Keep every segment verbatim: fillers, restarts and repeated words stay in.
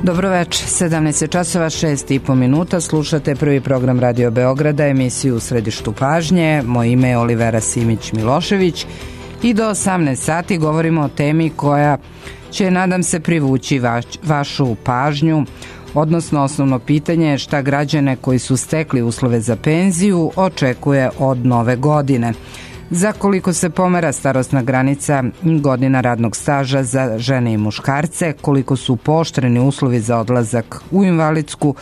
Dobro večer, sedamnaest časova šest i po minuta, slušate prvi program Radio Beograda, emisiju U središtu pažnje. Moje ime je Olivera Simić-Milošević i do osamnaest sati govorimo o temi koja će, nadam se, privući vaš, vašu pažnju, odnosno osnovno pitanje je šta građane koji su stekli uslove za penziju očekuje od nove godine. Za koliko se pomera starosna granica godina radnog staža za žene i muškarce, koliko su pooštreni uslovi za odlazak u invalidsku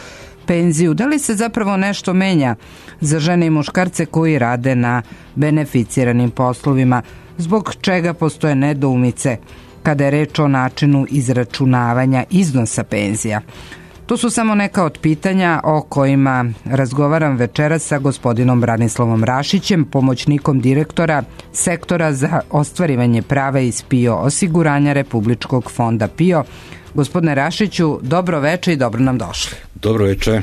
penziju, da li se zapravo nešto menja za žene i muškarce koji rade na beneficiranim poslovima, zbog čega postoje nedoumice kada je reč o načinu izračunavanja iznosa penzija. To su samo neka od pitanja o kojima razgovaram večeras sa gospodinom Branislavom Rašićem, pomoćnikom direktora sektora za ostvarivanje prava iz P I O osiguranja Republičkog fonda P I O. Gospodine Rašiću, dobro veče i dobro nam došli. Dobro veče.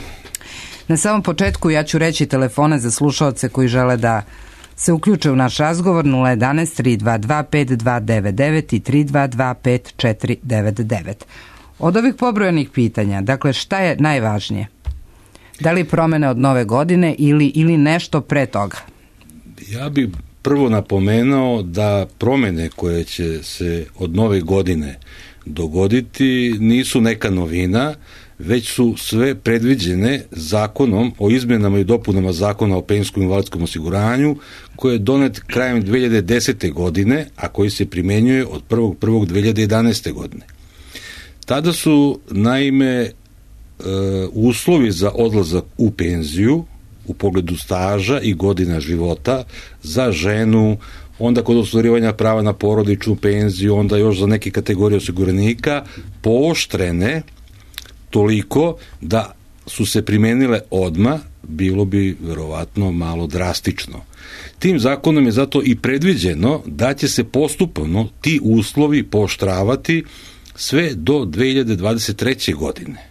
Na samom početku ja ću reći telefone za slušaoce koji žele da se uključe u naš razgovor: nula jedanaest tri dva dva pet dva devet devet i tri dva dva pet četiri devet devet. Od ovih pobrojenih pitanja, dakle, šta je najvažnije? Da li promene od nove godine ili, ili nešto pre toga? Ja bih prvo napomenuo da promene koje će se od nove godine dogoditi nisu neka novina, već su sve predviđene zakonom o izmenama i dopunama zakona o penzijskom i invalidskom osiguranju, koji je donet krajem dve hiljade desete. godine, a koji se primenjuje od prvog prvog dve hiljade jedanaeste. godine. Tada su, naime, e, uslovi za odlazak u penziju u pogledu staža i godina života za ženu, onda kod ostvarivanja prava na porodičnu penziju, onda još za neke kategorije osiguranika, pooštrene toliko da su se primenile odmah, bilo bi verovatno malo drastično. Tim zakonom je zato i predviđeno da će se postupno ti uslovi pooštravati sve do dve hiljade dvadeset treće. godine.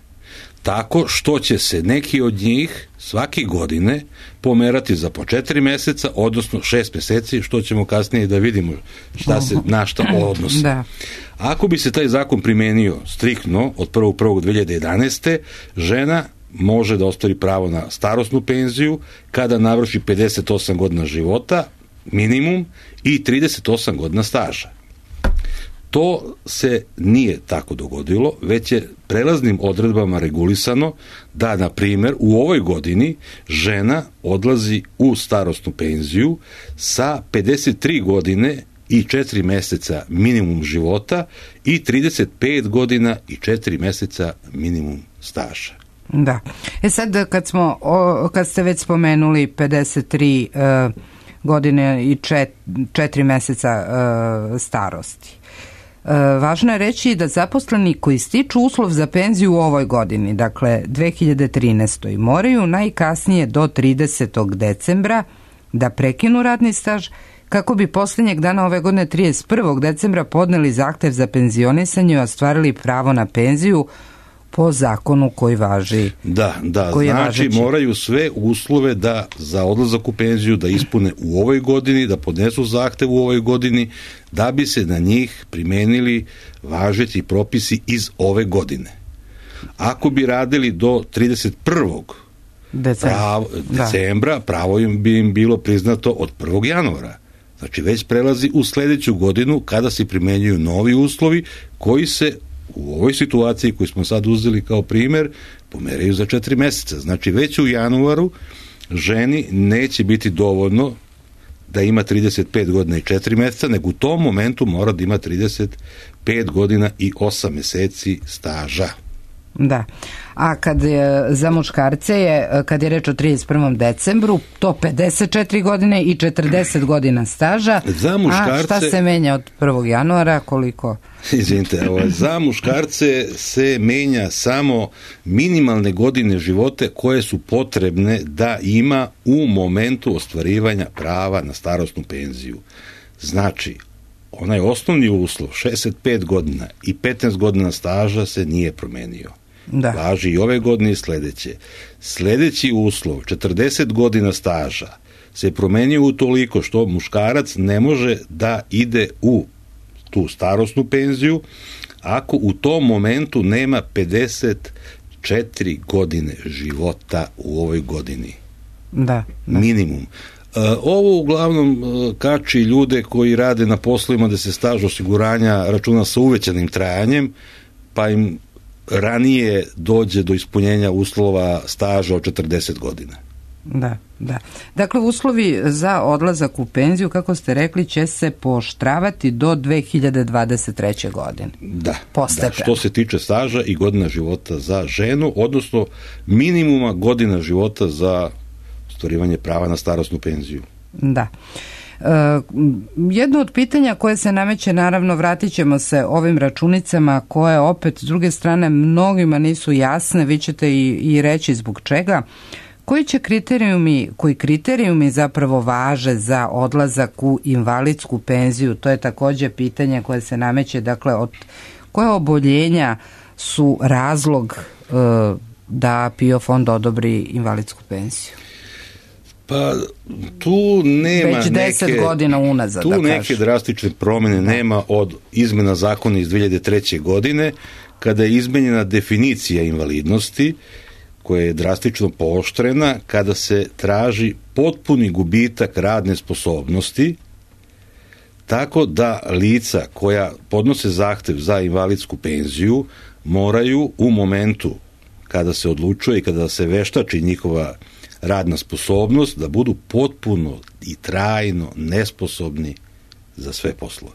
Tako što će se neki od njih svake godine pomerati za po četiri meseca, odnosno šest meseci, što ćemo kasnije da vidimo šta se na šta odnosi. Da. Ako bi se taj zakon primenio striktno od prvog prvog dve hiljade jedanaeste. žena može da ostvari pravo na starosnu penziju kada navrši pedeset osam godina života, minimum, i trideset osam godina staža. To se nije tako dogodilo, već je prelaznim odredbama regulisano da, na primjer, u ovoj godini žena odlazi u starosnu penziju sa pedeset tri godine i četiri meseca minimum života i trideset pet godina i četiri meseca minimum staža. Da. E sad, kad smo, o, kad ste već spomenuli pedeset tri uh, godine i četiri meseca uh, starosti, E, važno je reći da zaposleni koji stiču uslov za penziju u ovoj godini, dakle dve hiljade trinaeste. moraju najkasnije do tridesetog decembra da prekinu radni staž kako bi posljednjeg dana ove godine trideset prvog decembra podneli zahtev za penzionisanje i ostvarili pravo na penziju po zakonu koji važi. Da, da, znači važeći. Moraju sve uslove da za odlazak u penziju da ispune u ovoj godini, da podnesu zahtev u ovoj godini, da bi se na njih primenili važeći propisi iz ove godine. Ako bi radili do trideset prvog decembra, pravo, decembra pravo im bi im bilo priznato od prvog januara. Znači već prelazi u sljedeću godinu kada se primenjuju novi uslovi koji se u ovoj situaciji koju smo sad uzeli kao primjer pomeraju za četiri meseca. Znači već u januaru ženi neće biti dovoljno da ima trideset pet godina i četiri meseca, nego u tom momentu mora da ima trideset pet godina i osam meseci staža. Da. A kad je, za muškarce je, kad je reč o trideset prvom decembru, to pedeset četiri godine i četrdeset godina staža. Za muškarce, a šta se menja od prvog januara, koliko? Izvinite, za muškarce se menja samo minimalne godine života koje su potrebne da ima u momentu ostvarivanja prava na starosnu penziju. Znači, onaj osnovni uslov, šezdeset pet godina i petnaest godina staža se nije promenio. Da. Važi i ove godine i sledeće. Sledeći uslov, četrdeset godina staža, se promenio utoliko što muškarac ne može da ide u tu starosnu penziju ako u tom momentu nema pedeset četiri godine života u ovoj godini. Da, da. Minimum. Ovo uglavnom kači ljude koji rade na poslovima da se staž osiguranja računa sa uvećanim trajanjem, pa im ranije dođe do ispunjenja uslova staža od četrdeset godina. Da, da. Dakle, uslovi za odlazak u penziju, kako ste rekli, će se pooštravati do dve hiljade dvadeset treće. godine. Da, da, što se tiče staža i godina života za ženu, odnosno minimuma godina života za ostvarivanje prava na starosnu penziju. Da. E, jedno od pitanja koje se nameće, naravno, vratit ćemo se ovim računicama koje opet s druge strane mnogima nisu jasne, vi ćete i, i reći zbog čega. Koji će kriterijumi, koji kriterijumi zapravo važe za odlazak u invalidsku penziju? To je također pitanje koje se nameće, dakle, od koje oboljenja su razlog e, da PIO fond odobri invalidsku penziju? Pa tu nema već deset neke, godina unazad, tu da neke kažem. drastične promjene nema od izmjena zakona iz dve hiljade treće. godine, kada je izmenjena definicija invalidnosti, koja je drastično pooštrena kada se traži potpuni gubitak radne sposobnosti, tako da lica koja podnose zahtev za invalidsku penziju moraju u momentu kada se odlučuje i kada se veštači njihova radna sposobnost da budu potpuno i trajno nesposobni za sve poslove.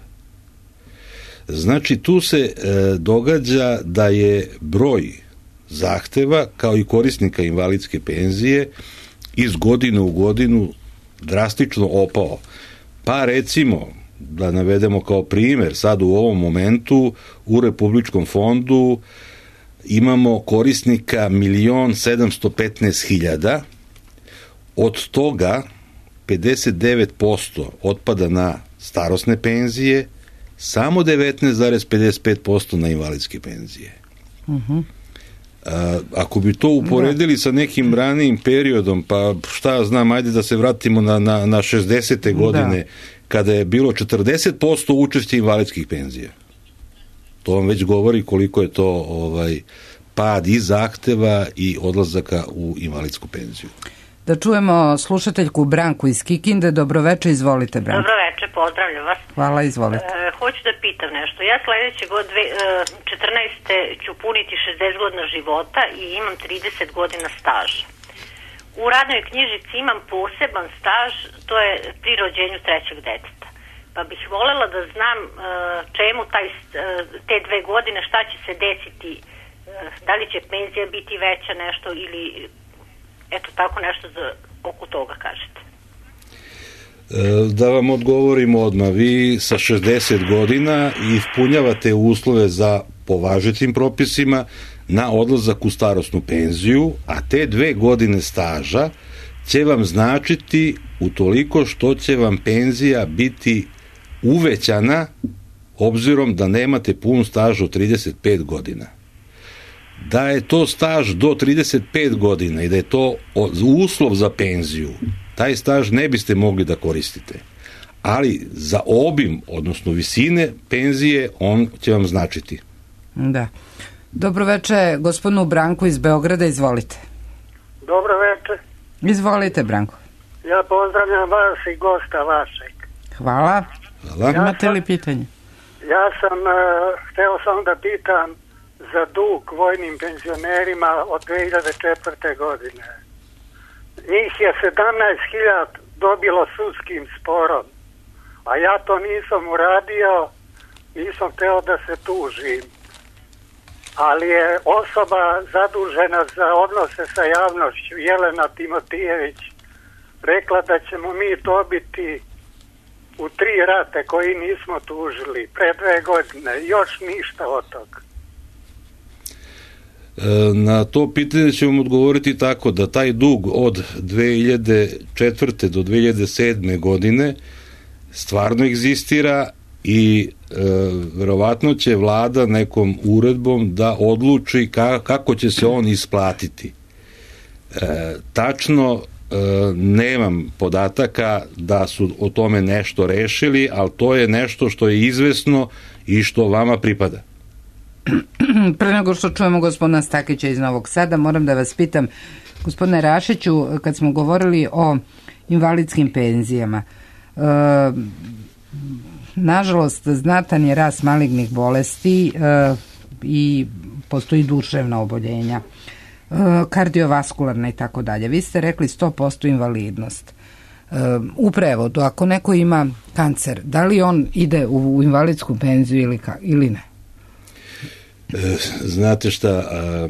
Znači, tu se e, događa da je broj zahteva kao i korisnika invalidske penzije iz godine u godinu drastično opao. Pa recimo, da navedemo kao primjer, sad u ovom momentu u Republičkom fondu imamo korisnika milion sedamsto petnaest hiljada, od toga pedeset devet posto otpada na starosne penzije, samo devetnaest zarez pedeset pet posto na invalidske penzije. Uh-huh. A, ako bi to uporedili da. sa nekim ranijim periodom, pa šta znam, ajde da se vratimo na, na, na šezdesete godine, da. kada je bilo četrdeset posto učešća invalidskih penzija. To vam već govori koliko je to ovaj, pad i zahteva i odlazaka u invalidsku penziju. Da čujemo slušateljku Branku iz Kikinde. Dobroveče, izvolite, Branko. Dobroveče, pozdravljam vas. Hvala, izvolite. E, hoću da pitam nešto. Ja sledeće god dve, četrnaeste ću puniti šezdeset godina života i imam trideset godina staža. U radnoj knjižici imam poseban staž, to je pri rođenju trećeg deteta. Pa bih voljela da znam e, čemu taj, te dve godine, šta će se desiti, e, da li će penzija biti veća nešto ili... Eto, tako nešto za, oko toga kažete. Da vam odgovorim odmah, vi sa šezdeset godina ispunjavate uslove za po važećim propisima na odlazak u starosnu penziju, a te dve godine staža će vam značiti utoliko što će vam penzija biti uvećana obzirom da nemate pun staž od trideset pet godina. Da je to staž do trideset pet godina i da je to uslov za penziju, taj staž ne biste mogli da koristite. Ali za obim, odnosno visine penzije, on će vam značiti. Da. Dobroveče, gospodinu Branku iz Beograda, izvolite. Dobroveče. Izvolite, Branko. Ja pozdravljam vas i gosta vašeg. Hvala. Hvala. Ja Imate li pitanje? Ja sam, uh, hteo sam da pitam za dug vojnim penzionerima od dve hiljade četvrte. godine. Njih je sedamnaest hiljada dobilo sudskim sporom, a ja to nisam uradio, nisam hteo da se tužim. Ali je osoba zadužena za odnose sa javnošću, Jelena Timotijević, rekla da ćemo mi dobiti u tri rate koji nismo tužili pre dve godine, još ništa od toga. Na to pitanje ću vam odgovoriti tako da taj dug od dve hiljade četvrte. do dve hiljade sedme. godine stvarno egzistira i e, verovatno će vlada nekom uredbom da odluči ka, kako će se on isplatiti. E, tačno e, nemam podataka da su o tome nešto rešili, ali to je nešto što je izvesno i što vama pripada. Pre nego što čujemo gospodina Stakića iz Novog Sada, moram da vas pitam, gospodine Rašiću, kad smo govorili o invalidskim penzijama, e, nažalost, znatan je rast malignih bolesti e, i postoji duševna oboljenja, e, kardiovaskularna i tako dalje. Vi ste rekli sto posto invalidnost. E, u prevodu, ako neko ima kancer, da li on ide u, u invalidsku penziju ili, ka, ili ne? E, znate šta, a,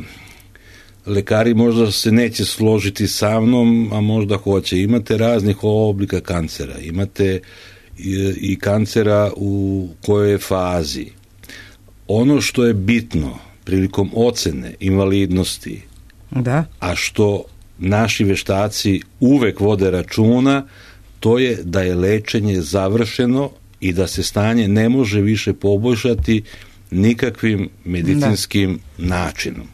lekari možda se neće složiti sa mnom, a možda hoće. Imate raznih oblika kancera. Imate i, i kancera u kojoj fazi. Ono što je bitno prilikom ocene invalidnosti, da. A što naši veštaci uvek vode računa, to je da je lečenje završeno i da se stanje ne može više poboljšati nikakvim medicinskim da. načinom.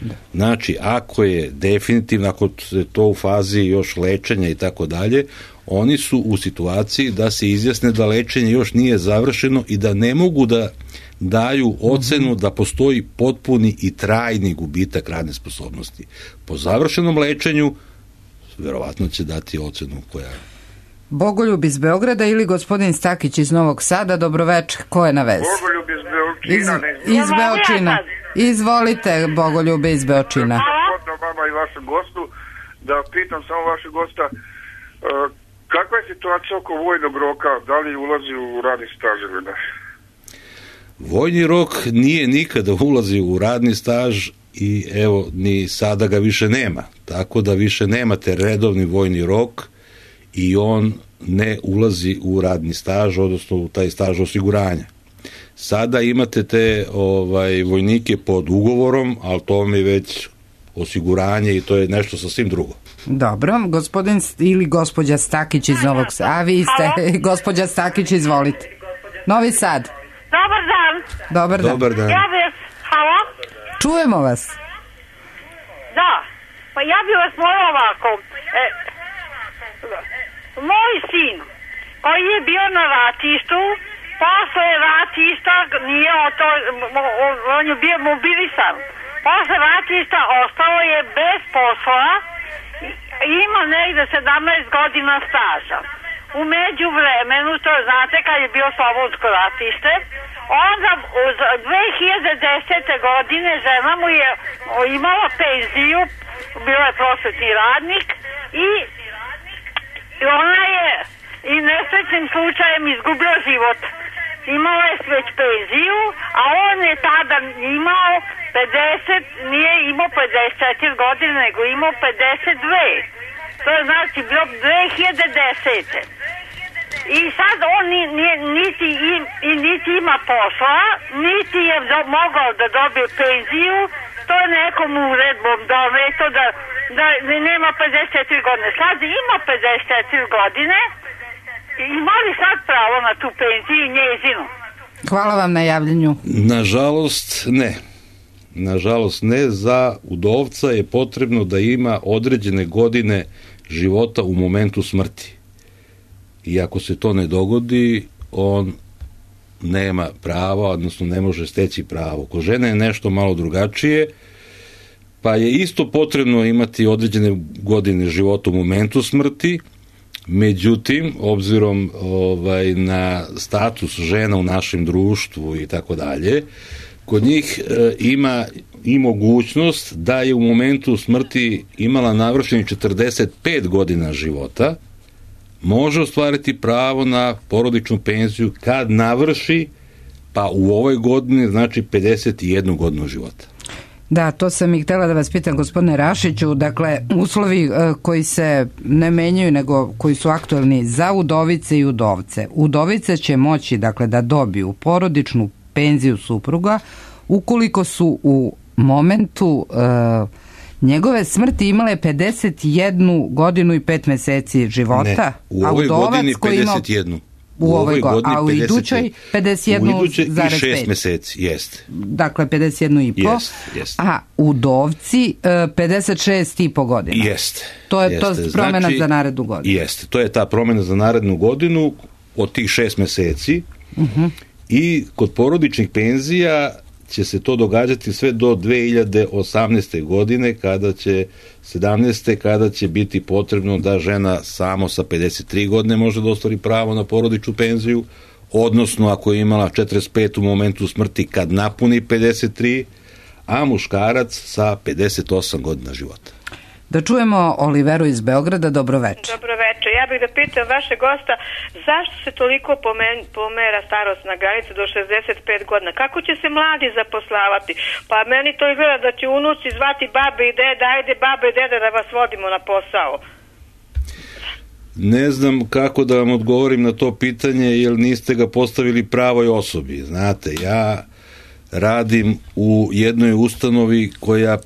Da. Znači, ako je definitivno, ako je to u fazi još lečenja i tako dalje, oni su u situaciji da se izjasne da lečenje još nije završeno i da ne mogu da daju ocenu mm-hmm. da postoji potpuni i trajni gubitak radne sposobnosti. Po završenom lečenju verovatno će dati ocenu koja... Bogoljub iz Beograda ili gospodin Stakić iz Novog Sada, dobroveče, ko je na vezi? Bogoljub iz Beočina. Iz, iz Beočina. Izvolite, Bogoljube iz Beočina. Hvala vama i vašem gostu, da pitam samo vašeg gosta, uh, kakva je situacija oko vojnog roka, da li ulazi u radni staž ili ne? Vojni rok nije nikada ulazi u radni staž i evo, ni sada ga više nema. Tako da više nemate redovni vojni rok i on ne ulazi u radni staž, odnosno u taj staž osiguranja. Sada imate te ovaj, vojnike pod ugovorom, ali to mi je već osiguranje i to je nešto sasvim drugo. Dobro, gospodin ili gospođa Stakić iz Novog Sada. A vi ste, gospođa Stakić, izvolite. Novi Sad. Dobar dan. Dobar dan. Dobar dan. Ja bih, halo? Čujemo vas. Da, pa ja bih vas molila ovako. E, moj sin, koji je bio na ratištu, posle ratišta, nije o to, on je bio mobilisan. Posle ratišta ostao je bez posla, ima negde sedamnaest godina staža. U međuvremenu, to znate kad je bio Slobodsko ratište, onda u dve hiljade desete. godine žena mu je imala penziju, bila je prosvetni radnik i, i ona je i nesrećnim slučajem izgubila život. Imala je već penziju, a on je tada imao pedeset, nije imao pedeset četiri godine, nego imao pedeset dve. To je znači bilo dve hiljade desete. I sad on ni, ni, niti, im, i, niti ima posla, niti je do, mogao da dobije penziju, to je nekom uredbom doneto da, da nema pedeset četiri godine. Sad ima pedeset četiri godine, ima li sad pravo na tu penziju njezinu? Hvala vam na javljanju. Nažalost ne. Nažalost ne, za udovca je potrebno da ima određene godine života u momentu smrti. I ako se to ne dogodi, on nema prava, odnosno ne može steći pravo. Kod žene je nešto malo drugačije, pa je isto potrebno imati određene godine života u momentu smrti, međutim, obzirom ovaj, na status žena u našem društvu i tako dalje, kod njih e, ima i mogućnost da je u momentu smrti imala navršenih četrdeset pet godina života, može ostvariti pravo na porodičnu penziju kad navrši, pa u ovoj godini znači pedeset jednu godinu života. Da, to sam i htjela da vas pitam, gospodine Rašiću, dakle, uslovi koji se ne menjaju, nego koji su aktualni za udovice i udovce. Udovice će moći, dakle, da dobiju porodičnu penziju supruga ukoliko su u momentu uh, njegove smrti imale pedeset jednu godinu i pet meseci života. Ne, u ovoj godini pedeset jednu. U, u ovoj godini, a u idućoj pedeset jednu zarez pet. I šest meseci, jeste. Dakle, pedeset jednu i po. Jest, jest. A udovci pedeset šest i po godina. Jeste. To je jeste. to promjena znači, za narednu godinu. Jeste, to je ta promjena za narednu godinu od tih šest meseci. Uh-huh. I kod porodičnih penzija će se to događati sve do dve hiljade osamnaeste. godine, kada će sedamnaeste. kada će biti potrebno da žena samo sa pedeset tri godine može da ostvari pravo na porodičnu penziju, odnosno ako je imala četrdeset pet u momentu smrti kad napuni pedeset tri, a muškarac sa pedeset osam godina života. Da čujemo Oliveru iz Beograda. Dobro večer. Dobro večer. Ja bih da pitam vaše gosta zašto se toliko pomen, pomera starosna granica do šezdeset pet godina? Kako će se mladi zaposlavati? Pa meni to izgleda da će unuci zvati babe i deda, ajde babe i deda da vas vodimo na posao. Ne znam kako da vam odgovorim na to pitanje, jer niste ga postavili pravoj osobi. Znate, ja radim u jednoj ustanovi koja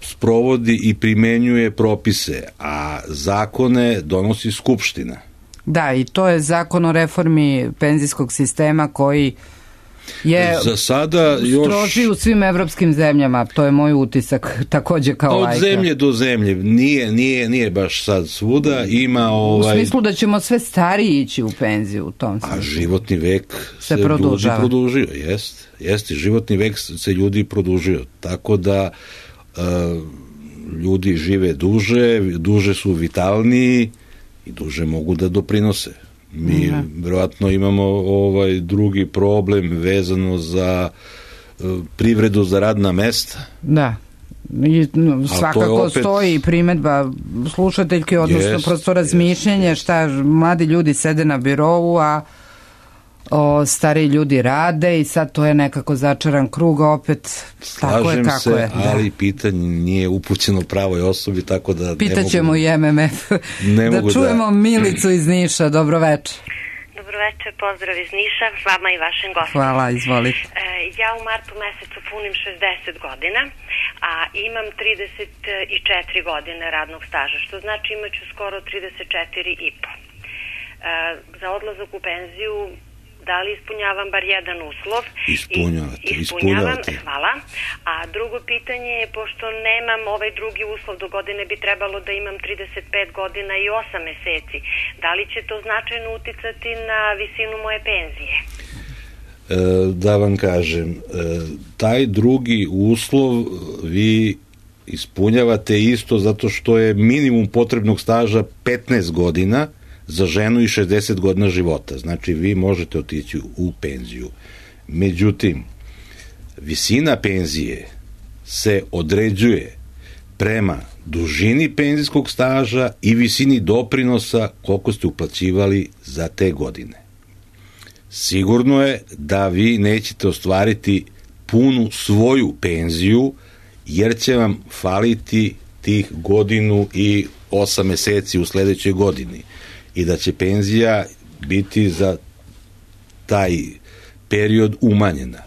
sprovodi i primenjuje propise, a zakone donosi Skupština. Da, i to je zakon o reformi penzijskog sistema koji je za sada još stroži u svim evropskim zemljama, to je moj utisak takođe kao lajka. Od zemlje do zemlje, nije, nije, nije baš sad svuda, ima ovaj... U smislu da ćemo sve stariji ići u penziju u tom smislu. A životni vek se, se produžava. ljudi produžio, jest, jest, životni vek se ljudi produžio, tako da uh, ljudi žive duže, duže su vitalniji i duže mogu da doprinose. Mi mm-hmm. vjerojatno imamo ovaj drugi problem vezano za uh, privredu, za radna mesta. Da. I, no, svakako opet stoji primedba slušateljke, odnosno jest, prosto razmišljenje jest. Šta mladi ljudi sede na birovu, a o, stari ljudi rade i sad to je nekako začaran krug, opet slažem tako je kako se, je. Ali da. Pitanje nije upućeno pravoj osobi, tako da pitaćemo mogu, i M M F. Da čujemo da... Milicu iz Niša. Dobro večer. Dobro večer, pozdrav iz Niša, s vama i vašim gostom. Hvala, izvolite. E, ja u martu mesecu punim šezdeset godina, a imam trideset četiri godine radnog staža, što znači imaću skoro trideset četiri i po. E, za odlazak u penziju da li ispunjavam bar jedan uslov? Ispunjavate, I, ispunjavam, hvala. A drugo pitanje je, pošto nemam ovaj drugi uslov, do godine bi trebalo da imam trideset pet godina i osam meseci. Da li će to značajno uticati na visinu moje penzije? E, da vam kažem, e, taj drugi uslov vi ispunjavate isto zato što je minimum potrebnog staža petnaest godina za ženu i šezdeset godina života. Znači, vi možete otići u penziju. Međutim, visina penzije se određuje prema dužini penzijskog staža i visini doprinosa koliko ste uplaćivali za te godine. Sigurno je da vi nećete ostvariti punu svoju penziju, jer će vam faliti tih godinu i osam meseci u sledećoj godini. I da će penzija biti za taj period umanjena.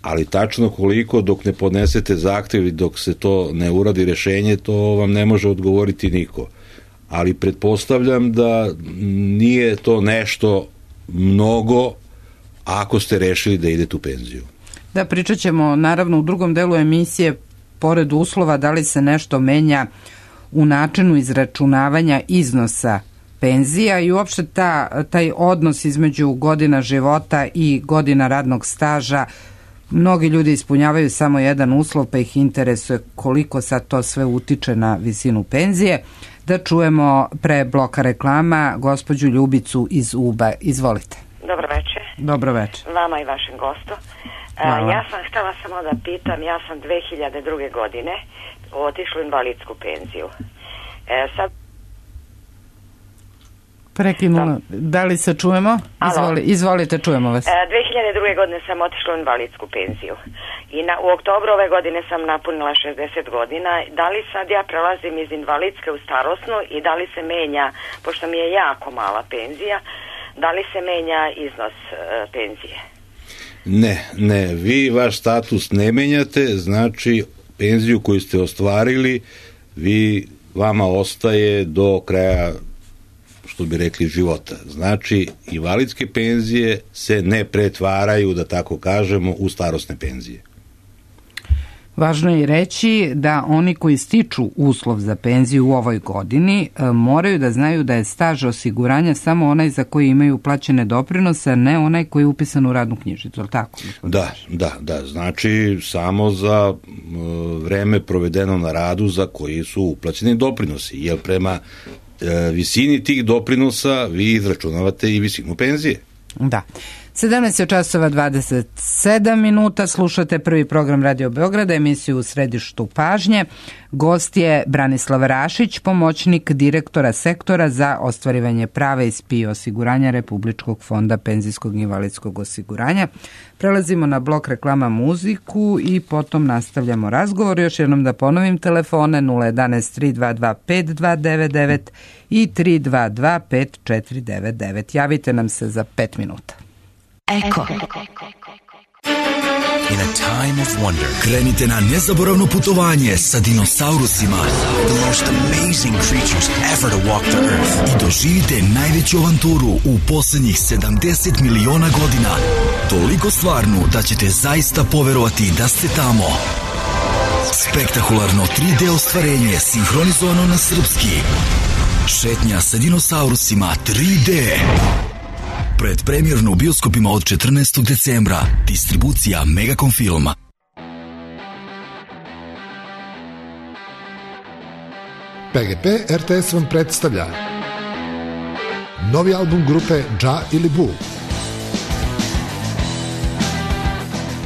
Ali tačno koliko, dok ne podnesete zahtev i dok se to ne uradi rešenje, to vam ne može odgovoriti niko. Ali pretpostavljam da nije to nešto mnogo ako ste rešili da idete u penziju. Da, pričat ćemo naravno u drugom delu emisije, pored uslova, da li se nešto menja u načinu izračunavanja iznosa penzija i uopšte ta, taj odnos između godina života i godina radnog staža. Mnogi ljudi ispunjavaju samo jedan uslov, pa ih interesuje koliko sad to sve utiče na visinu penzije. Da čujemo pre bloka reklama gospođu Ljubicu iz Uba. Izvolite. Dobro večer. Dobro večer. Vama i vašem gostu. Hvala. Ja sam htjela samo da pitam, ja sam dve hiljade druge. godine otišla u invalidsku penziju. E, sad Prekinula. Da li se čujemo? Izvoli, izvolite, čujemo vas. E, dve hiljade druge. godine sam otišla u invalidsku penziju. I na, u oktobru ove godine sam napunila šezdeset godina. Da li sad ja prelazim iz invalidske u starosnu i da li se menja, pošto mi je jako mala penzija, da li se menja iznos e, penzije? Ne, ne. Vi vaš status ne menjate, znači penziju koju ste ostvarili, vi, vama ostaje do kraja, što bi rekli, života. Znači, invalidske penzije se ne pretvaraju, da tako kažemo, u starosne penzije. Važno je reći da oni koji stiču uslov za penziju u ovoj godini moraju da znaju da je staž osiguranja samo onaj za koji imaju plaćene doprinose, a ne onaj koji je upisan u radnu knjižicu, ali tako? Da, da, da, znači samo za vreme provedeno na radu za koji su uplaćeni doprinosi, jer prema visini tih doprinosa vi izračunavate i visinu penzije. Da. sedamnaest časova dvadeset sedam minuta, slušate prvi program Radio Beograda, emisiju U središtu pažnje. Gost je Branislav Rašić, pomoćnik direktora sektora za ostvarivanje prava iz P I O osiguranja Republičkog fonda penzijskog i invalidskog osiguranja. Prelazimo na blok reklama muziku i potom nastavljamo razgovor. Još jednom da ponovim telefone nula jedanaest tri dva dva pet dva devet devet i tri dva dva pet četiri devet devet. Javite nam se za pet minuta. Eko. In a time of wonder, krenite na nezaboravno putovanje sa dinosaurusima. The most amazing creatures ever to walk the earth. I doživite najveću avanturu u posljednjih sedamdeset miliona godina. Toliko stvarnu da ćete zaista poverovati da ste tamo. Spektakularno tri D ostvarenje sinhronizovano na srpski. Šetnja sa dinosaurusima tri D. Predpremjerno u bioskopima od četrnaestog decembra. Distribucija Megacom Filma. P G P R T S vam predstavlja novi album grupe Dža ili Bu.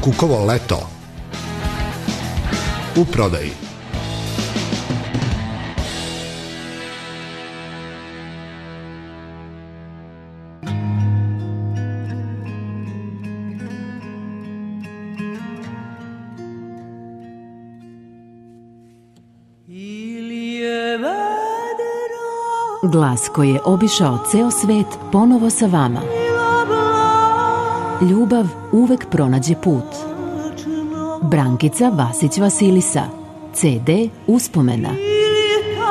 Kukovo leto. U prodaji. Glas koji je obišao ceo svet ponovo sa vama. Ljubav uvek pronađe put. Brankica Vasić Vasilisa. C D Uspomena.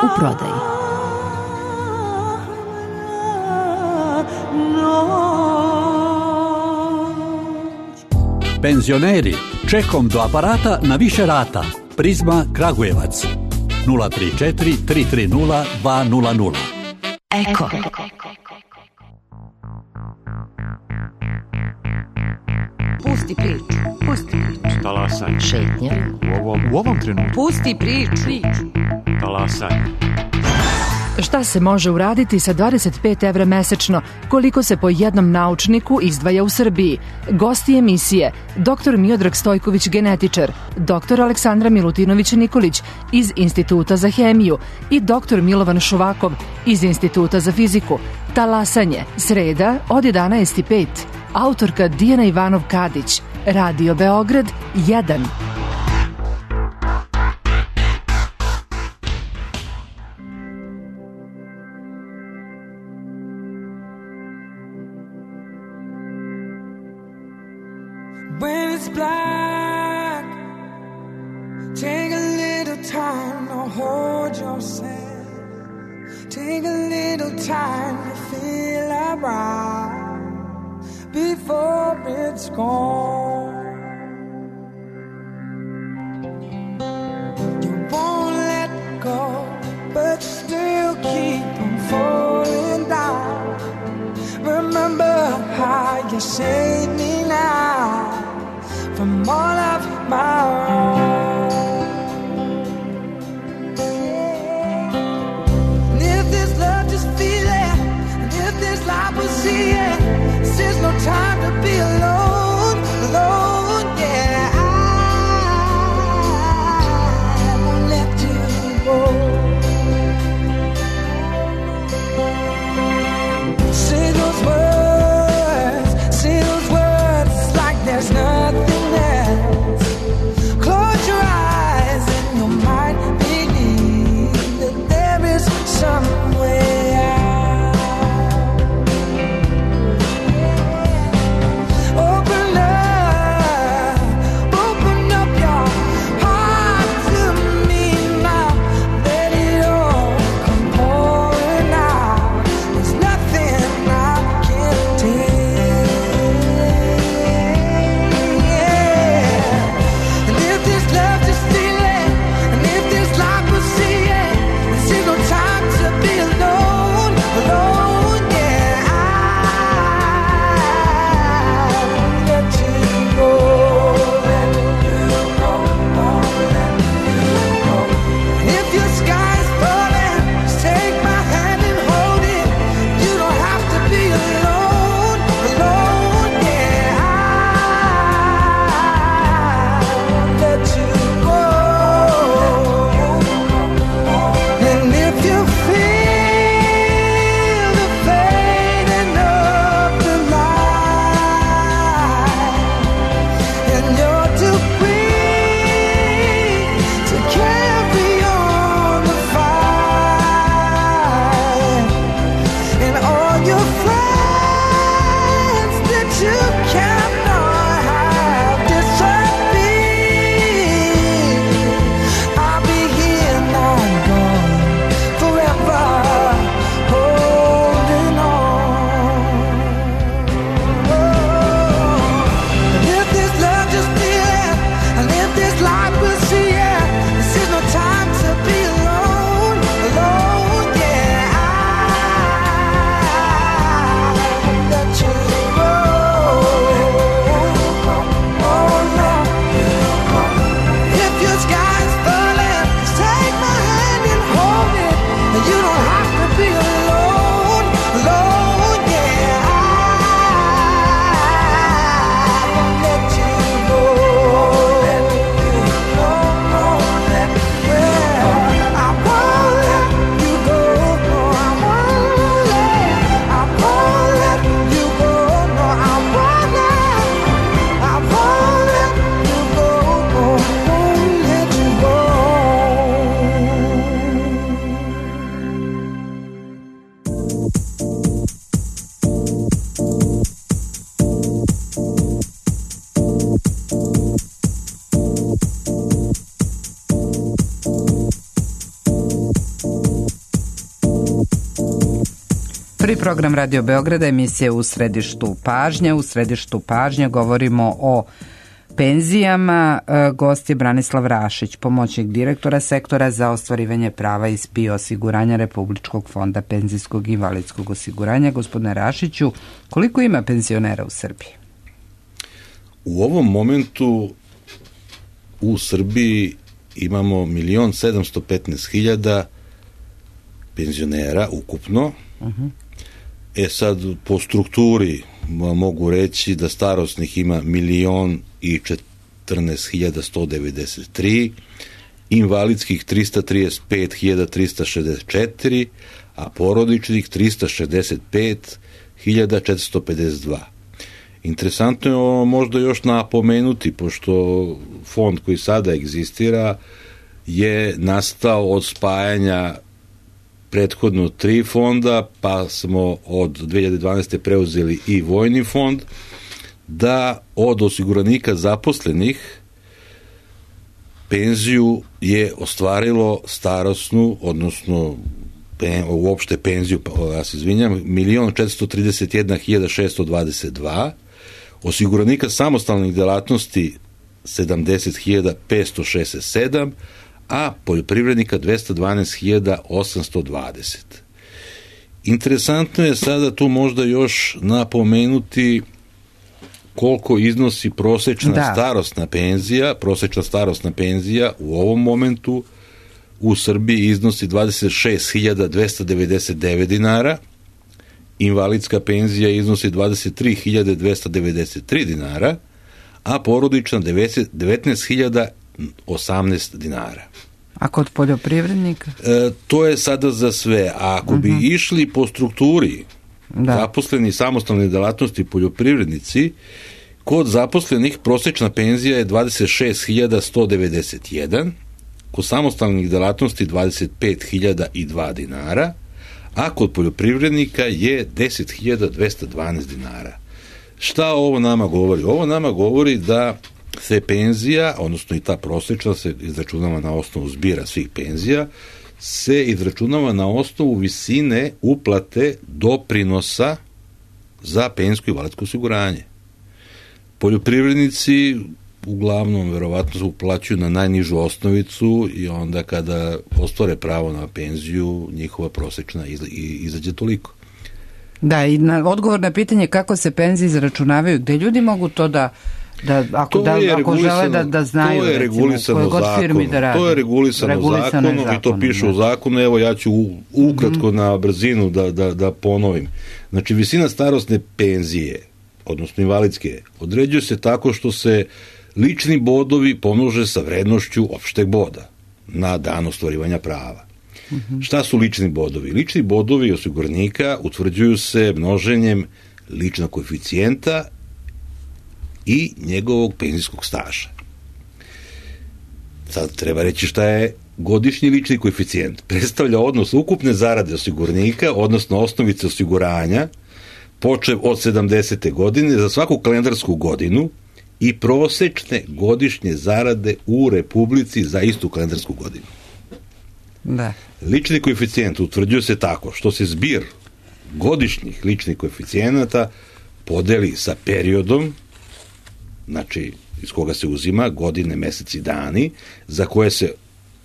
U prodaji. Penzioneri, čekom do aparata na više rata. Prizma Kragujevac. nula tri četiri tri tri nula dva nula nula. Eko. Pusti priču. Pusti priču. Talasaj. Šetnja. U ovom, u ovom trenutku. Pusti priču. Talasaj. Šta se može uraditi sa dvadeset pet evra mesečno, koliko se po jednom naučniku izdvaja u Srbiji? Gosti emisije: doktor Miodrag Stojković, genetičar, doktor Aleksandra Milutinović Nikolić iz Instituta za hemiju i doktor Milovan Šuvakov iz Instituta za fiziku. Talasanje, sreda od jedanaest i pet. Autorka Dijana Ivanov Kadić. Radio Beograd jedan. When it's black, take a little time to hold yourself. Take a little time to feel around before it's gone. You won't let go, but still keep on falling down. Remember how you saved me now from all of my own. And if this love, just feel it. And if this life will see it, this is no time to be alone, alone, yeah. I won't let you go. Say those words, say those words like there's nothing else. Close Prvi program Radio Beograda, emisija U središtu pažnje. U središtu pažnje govorimo o penzijama. Gost je Branislav Rašić, pomoćnik direktora sektora za ostvarivanje prava iz P I O osiguranja Republičkog fonda penzijskog i invalidskog osiguranja. Gospodine Rašiću, koliko ima penzionera u Srbiji? U ovom momentu u Srbiji imamo milion sedamsto petnaest hiljada penzionera ukupno. Uh-huh. E sad, po strukturi mogu reći da starosnih ima milion i četrnaest hiljada sto devedeset tri, invalidskih trista trideset pet hiljada trista šezdeset četiri, a porodičnih trista šezdeset pet hiljada četiristo pedeset dva. Interesantno je ovo možda još napomenuti, pošto fond koji sada egzistira je nastao od spajanja prethodno tri fonda, pa smo od dve hiljade dvanaeste. preuzeli i vojni fond, da od osiguranika zaposlenih penziju je ostvarilo starosnu, odnosno pen, uopšte penziju, ja se izvinjam, milion četiristo trideset jedna hiljada šeststo dvadeset dva, osiguranika samostalnih delatnosti sedamdeset hiljada petsto šezdeset sedam, a poljoprivrednika dvesta dvanaest hiljada osamsto dvadeset. Interesantno je sada tu možda još napomenuti koliko iznosi prosečna da. starosna penzija. Prosečna starosna penzija u ovom momentu u Srbiji iznosi dvadeset šest hiljada dvesta devedeset devet dinara, invalidska penzija iznosi dvadeset tri hiljade dvesta devedeset tri dinara, a porodična devetnaest hiljada osamnaest dinara. A kod poljoprivrednika? E, to je sada za sve. A ako uh-huh. bi išli po strukturi da. zaposleni samostalne delatnosti poljoprivrednici, kod zaposlenih prosečna penzija je dvadeset šest hiljada sto devedeset jedan, kod samostalnih delatnosti dvadeset pet hiljada dva dinara, a kod poljoprivrednika je deset hiljada dvesta dvanaest dinara. Šta ovo nama govori? Ovo nama govori da se penzija, odnosno i ta prosečna se izračunava na osnovu zbira svih penzija, se izračunava na osnovu visine uplate doprinosa za penzijsko i invalidsko osiguranje. Poljoprivrednici uglavnom verovatno uplaćuju na najnižu osnovicu i onda kada ostvare pravo na penziju, njihova prosečna izađe toliko. Da, i na odgovor na pitanje kako se penzije izračunavaju, gde ljudi mogu to da Da, ako, da, ako žele da, da znaju, to je regulisano recimo, zakonom, da to je regulisano, regulisano zakonom, zakonom i to piše u zakonu. Evo ja ću ukratko mm-hmm. na brzinu da, da, da ponovim. Znači visina starosne penzije, odnosno invalidske, određuje se tako što se lični bodovi pomnože sa vrednošću opšteg boda na dan ostvarivanja prava. Mm-hmm. Šta su lični bodovi? Lični bodovi osiguranika utvrđuju se množenjem ličnog koeficijenta i njegovog penzijskog staža. Sad treba reći šta je godišnji lični koeficijent. Predstavlja odnos ukupne zarade osiguranika, odnosno osnovice osiguranja, počev od sedamdesete godine za svaku kalendarsku godinu i prosečne godišnje zarade u Republici za istu kalendarsku godinu. Da. Lični koeficijent utvrđuje se tako što se zbir godišnjih ličnih koeficijenata podeli sa periodom, znači iz koga se uzima godine, meseci, dani, za koje se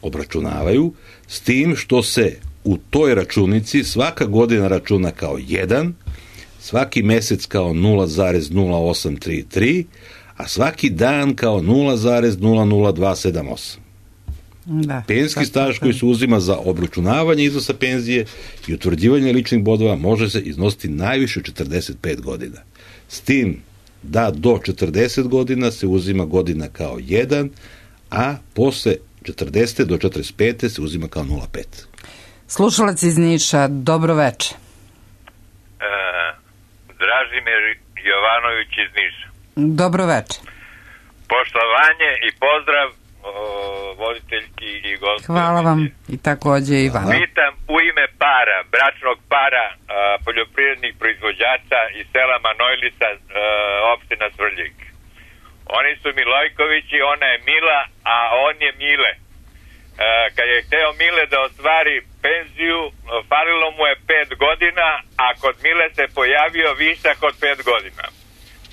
obračunavaju, s tim što se u toj računici svaka godina računa kao jedan, svaki mesec kao nula zarez nula osam tri tri, a svaki dan kao nula zarez nula nula dva sedam osam. Da, penzijski staž koji se uzima za obračunavanje iznosa penzije i utvrđivanje ličnih bodova može se iznositi najviše četrdeset pet godina. S tim da do četrdeset godina se uzima godina kao jedan, a posle četrdeset do četrdeset pet se uzima kao nula zarez pet. Slušalac iz Niša, dobro veče. E, Dražimir Jovanović iz Niša. Dobro veče. Poštovanje i pozdrav o, voditeljki i gospođi. Hvala vam i takođe Ivan. Pitam u ime para, bračnog para a, poljoprivrednih proizvođača iz sela Manojlica, a, opština Svrljig. Oni su Milojkovići, ona je Mila, a on je Mile. kad je hteo Mile da ostvari penziju, falilo mu je pet godina, a kod Mile se pojavio višak od pet godina.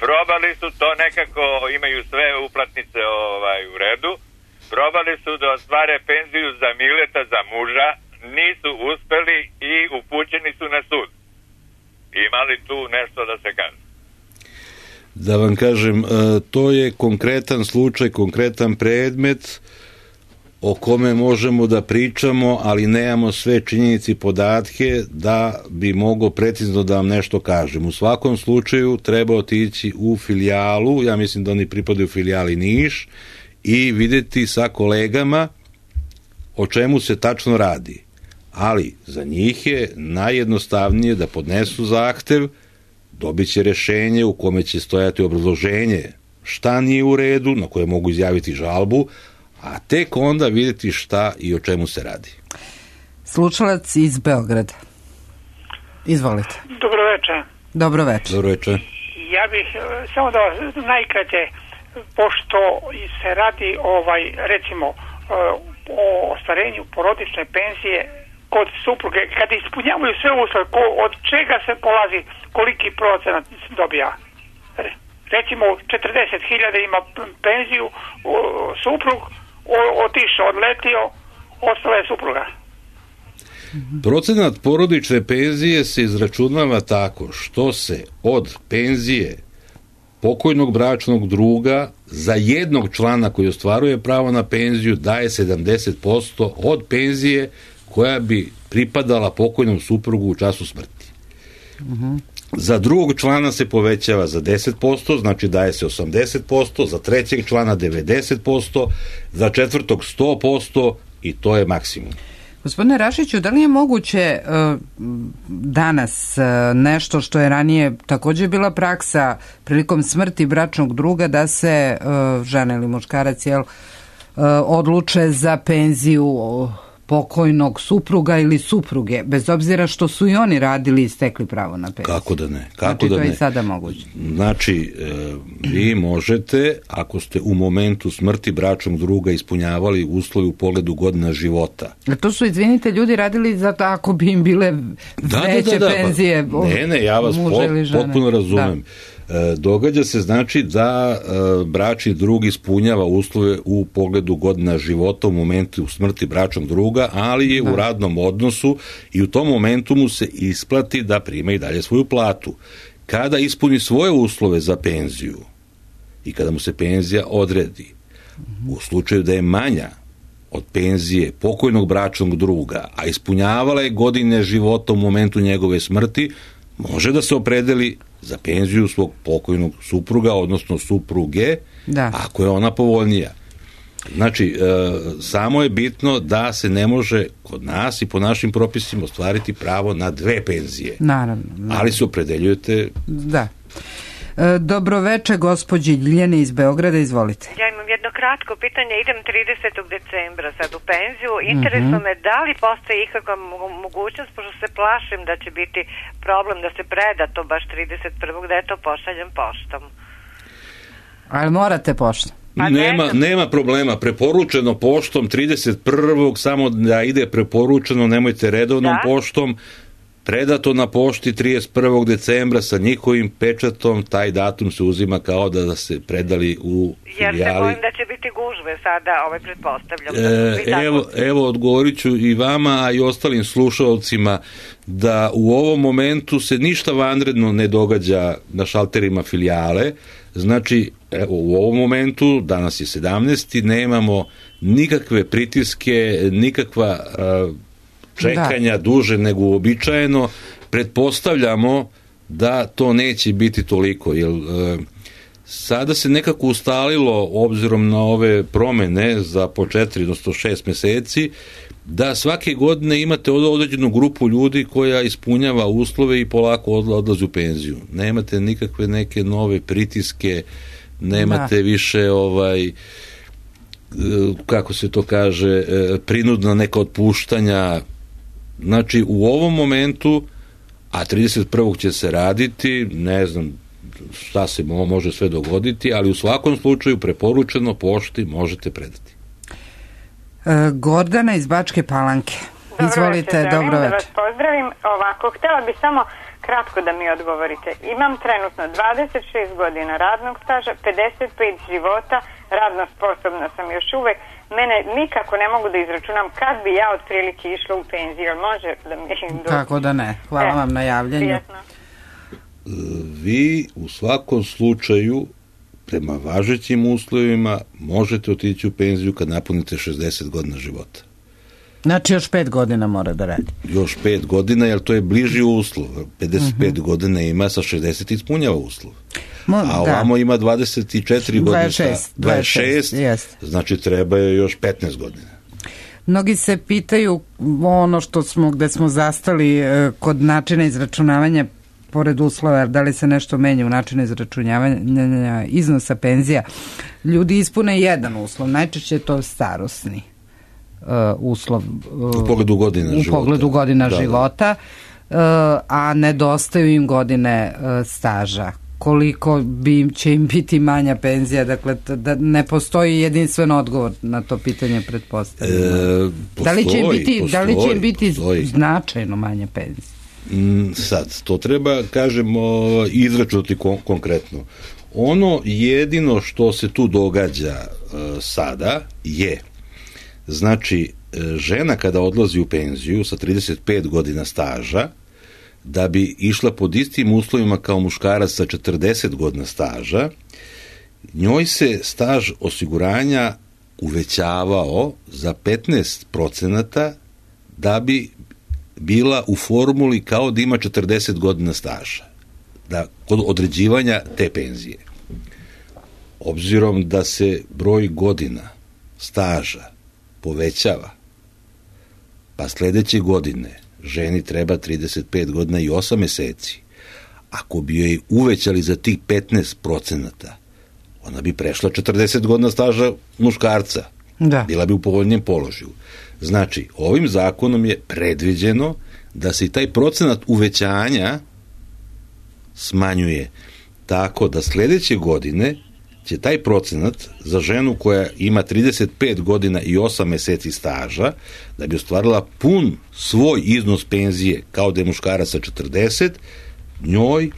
Probali su to nekako, imaju sve uplatnice ovaj, u redu, probali su da ostvare penziju za Mileta, za muža, nisu uspeli i upućeni su na sud. Imali tu nešto da se kaže? Da vam kažem, to je konkretan slučaj, konkretan predmet o kome možemo da pričamo, ali nemamo sve činjenice i podatke da bi mogao precizno da vam nešto kažem. U svakom slučaju treba otići u filijalu, ja mislim da oni pripadaju filijali Niš, i videti sa kolegama o čemu se tačno radi. Ali za njih je najjednostavnije da podnesu zahtev, dobit će rešenje u kome će stojati obrazloženje šta nije u redu, na koje mogu izjaviti žalbu, a tek onda vidjeti šta i o čemu se radi. Slušalac iz Beograda. Izvolite. Dobro večer. Dobro večer. Dobro večer. Ja bih samo da vas najkraće, pošto se radi ovaj, recimo o ostvarenju porodične penzije kod supruge, kad ispunjavaju sve uslove, od čega se polazi, koliki procenat dobija? Recimo četrdeset hiljada ima penziju, suprug otišao, odletio, ostala je supruga. Procenat porodične penzije se izračunava tako što se od penzije pokojnog bračnog druga za jednog člana koji ostvaruje pravo na penziju daje sedamdeset posto od penzije koja bi pripadala pokojnom suprugu u času smrti. Uh-huh. Za drugog člana se povećava za deset posto, znači daje se osamdeset posto, za trećeg člana devedeset posto, za četvrtog sto posto i to je maksimum. Gospodine Rašiću, da li je moguće uh, danas uh, nešto što je ranije također bila praksa prilikom smrti bračnog druga da se uh, žena ili muškarac jel, uh, odluče za penziju uh, pokojnog supruga ili supruge, bez obzira što su i oni radili i stekli pravo na penziju? Kako da ne? Kako znači, da to ne? je i sada moguće. Znači, e, vi možete, ako ste u momentu smrti bračnog druga ispunjavali uslovi u pogledu godina života. A to su, izvinite, ljudi radili zato ako bi im bile da, veće da, da, da, penzije. Pa, ne, ne, ja vas po, potpuno razumem. Da. Događa se znači da bračni drug ispunjava uslove u pogledu godina života u momentu smrti bračnog druga, ali je da. u radnom odnosu i u tom momentu mu se isplati da prima i dalje svoju platu. Kada ispuni svoje uslove za penziju i kada mu se penzija odredi, u slučaju da je manja od penzije pokojnog bračnog druga, a ispunjavala je godine života u momentu njegove smrti, može da se opredeli za penziju svog pokojnog supruga, odnosno supruge, da. ako je ona povoljnija. Znači, e, samo je bitno da se ne može kod nas i po našim propisima ostvariti pravo na dve penzije. Naravno. naravno. Ali se opredeljujete... Da. E, dobro večer, gospođi Ljiljani iz Beograda, izvolite. Ja imam jedno kratko pitanje, idem tridesetog decembra sad u penziju, interesno uh-huh. me da li postoji ikakva mogućnost, pošto se plašim da će biti problem da se preda to baš trideset prvog da je to pošaljem poštom. Ali morate poštom? Pa nema, nema problema, preporučeno poštom trideset prvog samo da ide preporučeno, nemojte redovnom da? poštom, predato na pošti trideset prvog decembra sa njihovim pečatom, taj datum se uzima kao da se predali u filijali. Jer se bojim da će biti gužve sada, ovaj pretpostavljam. E, evo, evo odgovorit ću i vama, a i ostalim slušalcima da u ovom momentu se ništa vanredno ne događa na šalterima filijale. Znači, evo, u ovom momentu, danas je sedamnaesti, nemamo nikakve pritiske, nikakva uh, čekanja da. duže nego uobičajeno. Pretpostavljamo da to neće biti toliko, jer uh, sada se nekako ustalilo, obzirom na ove promene za po četiri, odnosno šest meseci, da svake godine imate određenu grupu ljudi koja ispunjava uslove i polako odlazi u penziju. Nemate nikakve neke nove pritiske, nemate da. više ovaj, kako se to kaže, prinudna neka otpuštanja. Znači, u ovom momentu, a trideset prvog će se raditi, ne znam šta se može sve dogoditi, ali u svakom slučaju preporučeno pošti možete predati. E, Gordana iz Bačke Palanke. Dobro Izvolite, večer, dobro da večer. vas pozdravim. Ovako, htjela bi samo kratko da mi odgovorite. Imam trenutno dvadeset šest godina radnog staža, pedeset pet života, radno sposobna sam još uvek. Mene nikako ne mogu da izračunam kad bi ja otprilike išla u penziju. Može da mi... Kako da ne. Hvala e, vam na javljanju. Prijetno. Vi u svakom slučaju prema važećim uslovima možete otići u penziju kad napunite šezdeset godina života. Znači još pet godina mora da radi. Još pet godina, jer to je bliži uslov. pedeset pet uh-huh. godina ima, sa šezdeset ispunjava uslov. Mo, a ovamo da. Ima dvadeset četiri godine. dvadeset šest. dvadeset šest, dvadeset šest znači treba je još petnaest godina. Mnogi se pitaju ono što smo, gde smo zastali eh, kod načina izračunavanja pored uslova, da li se nešto menja u načinu izračunavanja iznosa penzija. Ljudi ispune jedan uslov, najčešće je to starosni uh, uslov. Uh, u pogledu godina u života. pogledu godina da, života, uh, a nedostaju im godine uh, staža. Koliko bi će im biti manja penzija, dakle da ne postoji jedinstven odgovor na to pitanje, pretpostavljamo. E, da li će im biti, postoji, da li će im biti značajno manja penzija? Sad, to treba, kažemo, izračunati kon- konkretno. Ono jedino što se tu događa uh, sada je, znači, žena kada odlazi u penziju sa trideset pet godina staža, da bi išla pod istim uslovima kao muškarac sa četrdeset godina staža, njoj se staž osiguranja uvećavao za petnaest procenata da bi bila u formuli kao da ima četrdeset godina staža, da, kod određivanja te penzije. Obzirom da se broj godina staža povećava, pa sledeće godine ženi treba trideset pet godina i osam meseci, ako bi joj uvećali za tih petnaest procenata, ona bi prešla četrdeset godina staža muškarca. Da. Bila bi u povoljnijem položaju. Znači, ovim zakonom je predviđeno da se i taj procenat uvećanja smanjuje tako da sledeće godine će taj procenat za ženu koja ima trideset pet godina i osam meseci staža, da bi ostvarila pun svoj iznos penzije kao da je muškarac sa četrdeset, njoj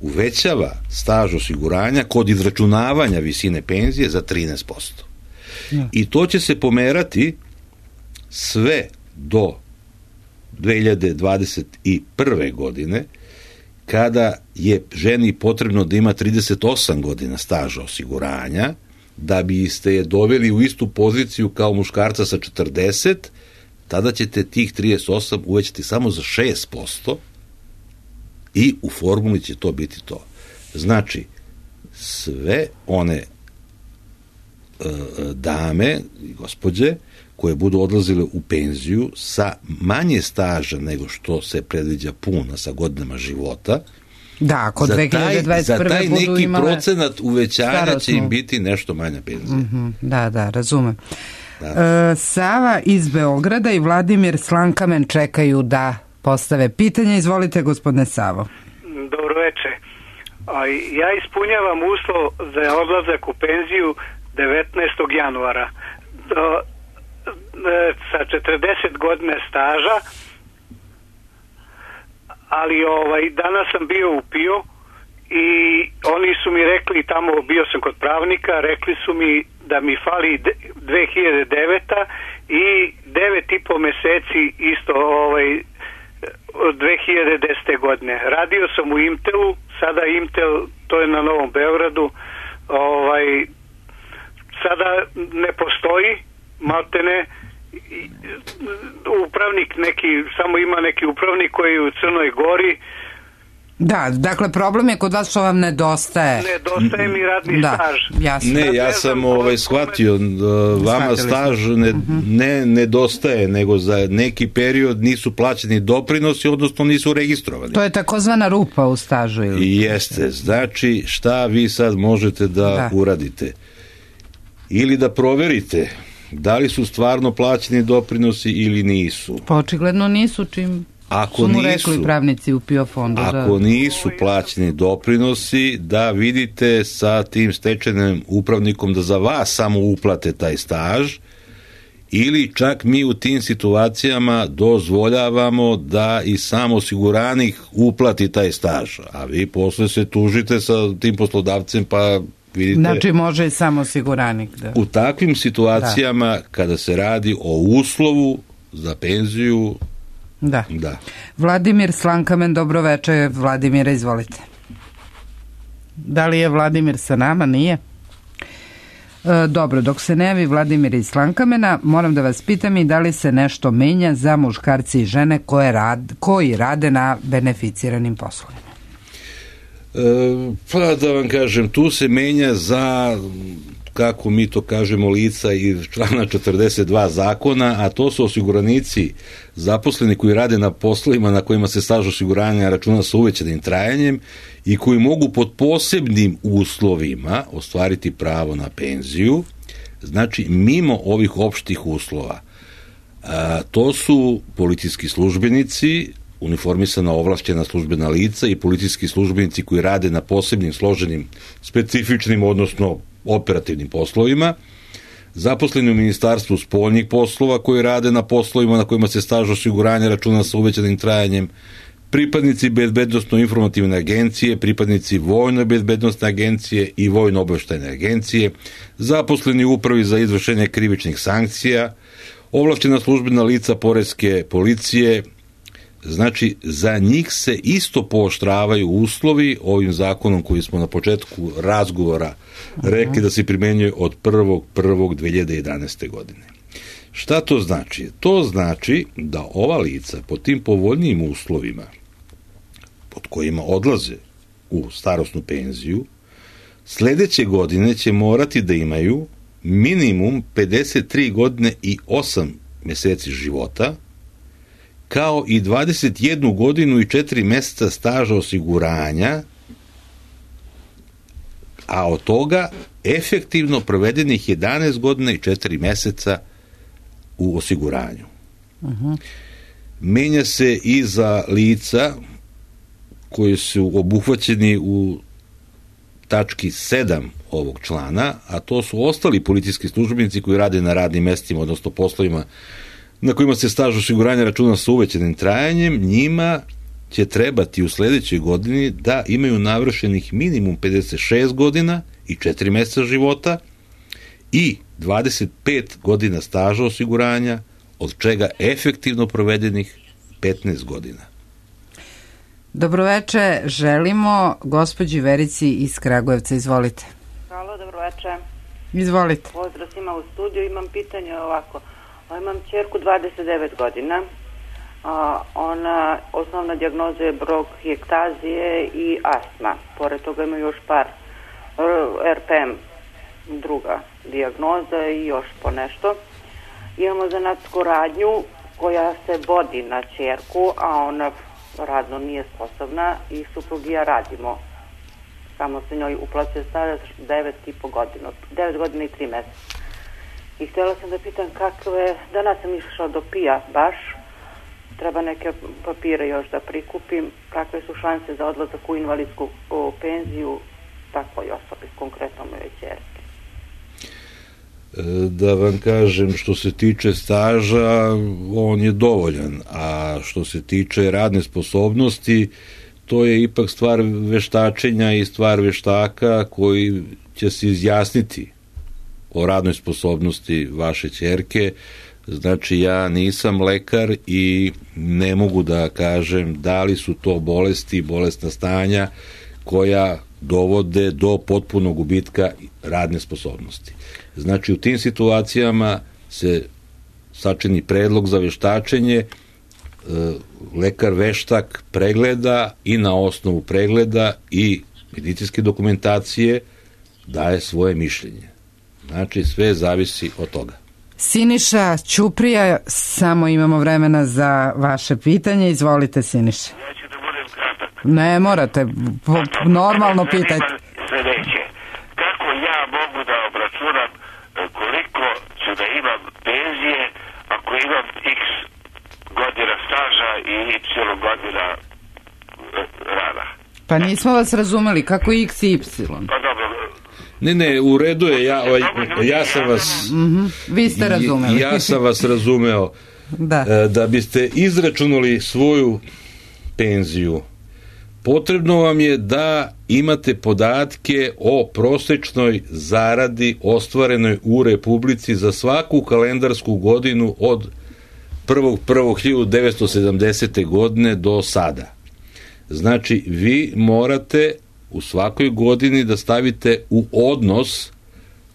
uvećava staž osiguranja kod izračunavanja visine penzije za trinaest posto. Ja. I to će se pomerati sve do dve hiljade dvadeset prve. godine, kada je ženi potrebno da ima trideset osam godina staža osiguranja, da biste je doveli u istu poziciju kao muškarca sa četrdeset, tada ćete tih trideset osam uvećati samo za šest posto i u formuli će to biti to. Znači, sve one e, dame i gospođe koje budu odlazile u penziju sa manje staža nego što se predviđa puna sa godinama života, da, kod dve hiljade dvadeset prve. Za taj neki imale procenat uvećanja starosnu. Će im biti nešto manja penzija. Mm-hmm, da, da, razumem. Da. E, Sava iz Beograda i Vladimir Slankamen čekaju da postave pitanje. Izvolite, gospodine Savo. Dobro večer. A ja ispunjavam uslov za odlazak u penziju devetnaestog januara. Do, sa četrdeset godina staža, ali ovaj danas sam bio u P I O i oni su mi rekli, tamo bio sam kod pravnika, rekli su mi da mi fali dve hiljade deveta i devet i po meseci isto ovaj od dve hiljade desete. godine. Radio sam u Imtelu, sada Imtel, to je na Novom Beogradu, ovaj sada ne postoji, maltene, upravnik neki, samo ima neki upravnik koji je u Crnoj Gori. Da, dakle problem je kod vas što vam nedostaje. Nedostaje mi radni da, staž. Jasno. Ne, ja sam ovaj, shvatio, vama staž ne, ne nedostaje, nego za neki period nisu plaćeni doprinosi, odnosno nisu registrovani. To je takozvana rupa u stažu. Ili? Jeste, znači šta vi sad možete da, da uradite? Ili da proverite da li su stvarno plaćeni doprinosi ili nisu. Pa očigledno nisu, čim ako su mu nisu, rekli pravnici u P I O fondu. Ako da. nisu plaćeni doprinosi, da vidite sa tim stečajnim upravnikom da za vas samo uplate taj staž ili čak mi u tim situacijama dozvoljavamo da i sam osiguranik uplati taj staž, a vi posle se tužite sa tim poslodavcem, pa vidite... Znači može i sam osiguranik. Da. U takvim situacijama, da. Kada se radi o uslovu za penziju... Da. Da. Vladimir Slankamen, dobro veče. Vladimire, izvolite. Da li je Vladimir sa nama? Nije? E, dobro, dok se ne javi Vladimir iz Slankamena, moram da vas pitam i da li se nešto menja za muškarci i žene koje rad, koji rade na beneficiranim poslovima? E, pa da vam kažem, tu se menja za, kako mi to kažemo, lica iz člana četrdeset dva zakona, a to su osiguranici zaposleni koji rade na poslovima na kojima se staž osiguranja računa sa uvećanim trajanjem i koji mogu pod posebnim uslovima ostvariti pravo na penziju, znači mimo ovih opštih uslova. A, to su policijski službenici, uniformisana ovlašćena službena lica i policijski službenici koji rade na posebnim, složenim, specifičnim, odnosno operativnim poslovima, zaposleni u Ministarstvu spoljnih poslova koji rade na poslovima na kojima se staž osiguranja računa sa uvećanim trajanjem, pripadnici bezbednosno-informativne agencije, pripadnici vojno-bezbednostne agencije i vojno-obaveštajne agencije, zaposleni u upravi za izvršenje krivičnih sankcija, ovlašćena službena lica poreske policije. Znači, za njih se isto pooštravaju uslovi ovim zakonom koji smo na početku razgovora rekli da se primenjuje od prvog prvog dve hiljade jedanaeste. godine. Šta to znači? To znači da ova lica po tim povoljnijim uslovima pod kojima odlaze u starosnu penziju, sledeće godine će morati da imaju minimum pedeset tri godine i osam meseci života, kao i dvadeset jednu godinu i četiri meseca staža osiguranja, a od toga efektivno provedenih jedanaest godina i četiri meseca u osiguranju. Uh-huh. Menja se i za lica koji su obuhvaćeni u tački sedam ovog člana, a to su ostali policijski službenici koji rade na radnim mestima, odnosno poslovima na kojima se staž osiguranja računa sa uvećanim trajanjem. Njima će trebati u sledećoj godini da imaju navršenih minimum pedeset šest godina i četiri meseca života i dvadeset pet godina staža osiguranja, od čega efektivno provedenih petnaest godina. Dobroveče, želimo gospođi Verici iz Kragujevca, izvolite. Halo, dobroveče. Izvolite. Pozdrav svima u studiju, imam pitanje ovako. Imam ćerku dvadeset devet godina, ona, osnovna dijagnoza je bronhijektazije i astma, pored toga ima još par er pe em, druga dijagnoza i još po nešto. Imamo zanatsku radnju koja se vodi na ćerku, a ona radno nije sposobna i suprug i ja radimo. Samo se njoj uplaćuje staž devet i po godina, devet godina i tri meseca. I htjela sam da pitam kakve, danas sam išla do pija baš, treba neke papire još da prikupim, kakve su šanse za odlazak u invalidsku u penziju takvoj osobi, konkretno moje ćerke. Da vam kažem, što se tiče staža, on je dovoljan, a što se tiče radne sposobnosti, to je ipak stvar veštačenja i stvar veštaka koji će se izjasniti o radnoj sposobnosti vaše ćerke. Znači, ja nisam lekar i ne mogu da kažem da li su to bolesti, bolestna stanja koja dovode do potpunog gubitka radne sposobnosti. Znači, u tim situacijama se sačini predlog za veštačenje, lekar veštak pregleda i na osnovu pregleda i medicinske dokumentacije daje svoje mišljenje. Znači, sve zavisi od toga. Siniša Ćuprija, samo imamo vremena za vaše pitanje. Izvolite, Siniša. Ja ću da budem kratak. Ne morate, po, normalno pitajte. Sledeće, kako ja mogu da obračunam koliko ću da imam penzije ako imam x godina staža i y godina rada? Pa nismo vas razumeli, kako x i y? Pa dobro. Ne, ne, u redu je, ja, ja sam vas... Mm-hmm. Vi ste razumeli. Ja sam vas razumeo. Da. Da biste izračunali svoju penziju, potrebno vam je da imate podatke o prosečnoj zaradi ostvarenoj u Republici za svaku kalendarsku godinu od prvog prvog hiljadu devetsto sedamdesete godine do sada. Znači, vi morate u svakoj godini da stavite u odnos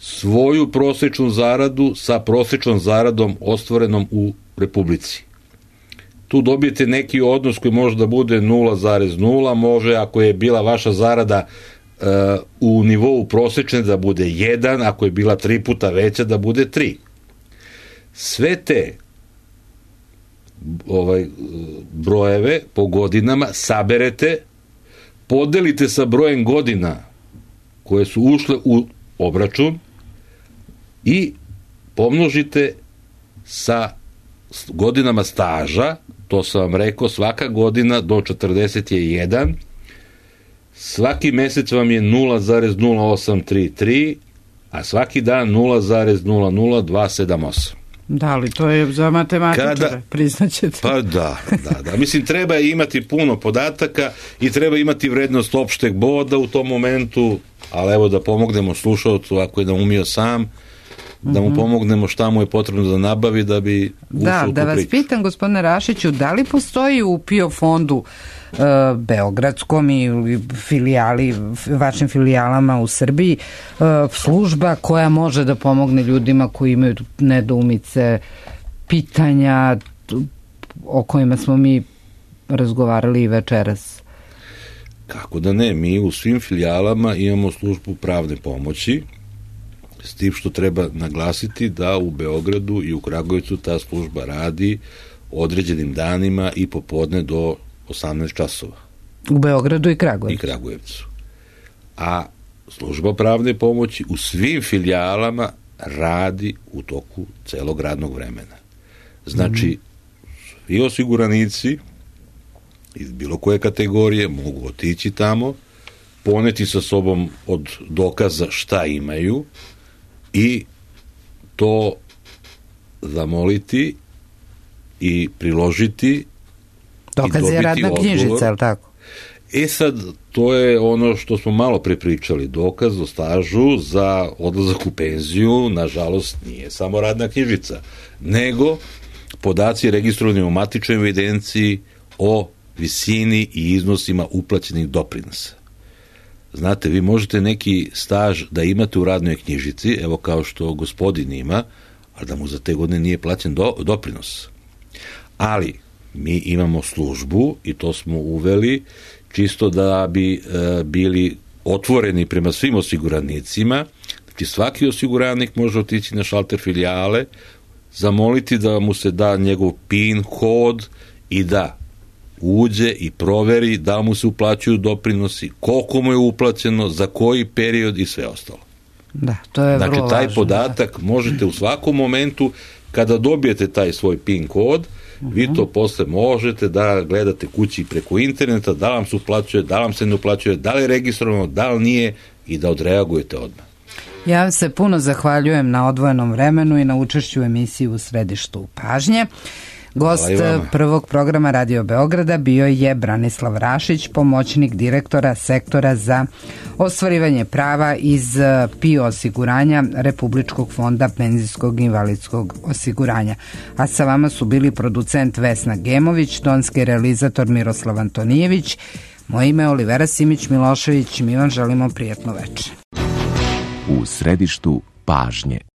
svoju prosečnu zaradu sa prosečnom zaradom ostvarenom u Republici. Tu dobijete neki odnos koji može da bude nula zarez nula, može ako je bila vaša zarada uh, u nivou prosečne da bude jedan, ako je bila tri puta veća da bude tri. Sve te ovaj, brojeve po godinama saberete, podelite sa brojem godina koje su ušle u obračun i pomnožite sa godinama staža, to sam vam rekao, svaka godina do četrdeset je jedan, svaki mesec vam je nula zarez nula osam tri tri, a svaki dan nula zarez nula nula dva sedam osam. Da, ali to je za matematičare, Kada, priznaćete. Pa da, da, da. Mislim, treba imati puno podataka i treba imati vrednost opšteg boda u tom momentu, ali evo da pomognemo slušalcu, ako je da umio sam, da mu pomognemo šta mu je potrebno da nabavi da bi ušao da, u tu da vas priču. pitam, gospodine Rašiću, da li postoji u PIO fondu e, beogradskom i filijali, vašim filijalama u Srbiji e, služba koja može da pomogne ljudima koji imaju nedoumice, pitanja o kojima smo mi razgovarali i večeras? Kako da ne, mi u svim filijalama imamo službu pravne pomoći, s tim što treba naglasiti da u Beogradu i u Kragujevcu ta služba radi određenim danima i popodne do osamnaest časova. U Beogradu i Kragujevcu. I Kragujevcu. A služba pravne pomoći u svim filijalama radi u toku celog radnog vremena. Znači, mm-hmm. svi osiguranici iz bilo koje kategorije mogu otići tamo, poneti sa sobom od dokaza šta imaju i to zamoliti i priložiti. Dokaz je radna knjižica, je li tako? E sad, to je ono što smo malo prepričali. Dokaz o stažu za odlazak u penziju, nažalost, nije samo radna knjižica, nego podaci registrovani u matičnoj evidenciji o visini i iznosima uplaćenih doprinosa. Znate, vi možete neki staž da imate u radnoj knjižici, evo kao što gospodin ima, ali da mu za te godine nije plaćen do, doprinos. Ali mi imamo službu i to smo uveli čisto da bi e, bili otvoreni prema svim osiguranicima. Znači svaki osiguranik može otići na šalter filijale, zamoliti da mu se da njegov PIN kod i da uđe i proveri da mu se uplaćuju doprinosi, koliko mu je uplaćeno, za koji period i sve ostalo. Da, to je znači, vrlo taj važno, podatak da. možete u svakom momentu, kada dobijete taj svoj PIN kod, uh-huh. vi to posle možete da gledate kući preko interneta, da vam se uplaćuje, da vam se ne uplaćuje, da li je registrovano, da li nije i da odreagujete odmah. Ja vam se puno zahvaljujem na odvojenom vremenu i na učešću u emisiji U središtu pažnje. Gost prvog programa Radio Beograda bio je Branislav Rašić, pomoćnik direktora sektora za ostvarivanje prava iz PIO osiguranja Republičkog fonda penzijskog i invalidskog osiguranja. A sa vama su bili producent Vesna Gemović, tonski realizator Miroslav Antonijević, moje ime je Olivera Simić Milošević, mi vam želimo prijatno večer. U središtu pažnje.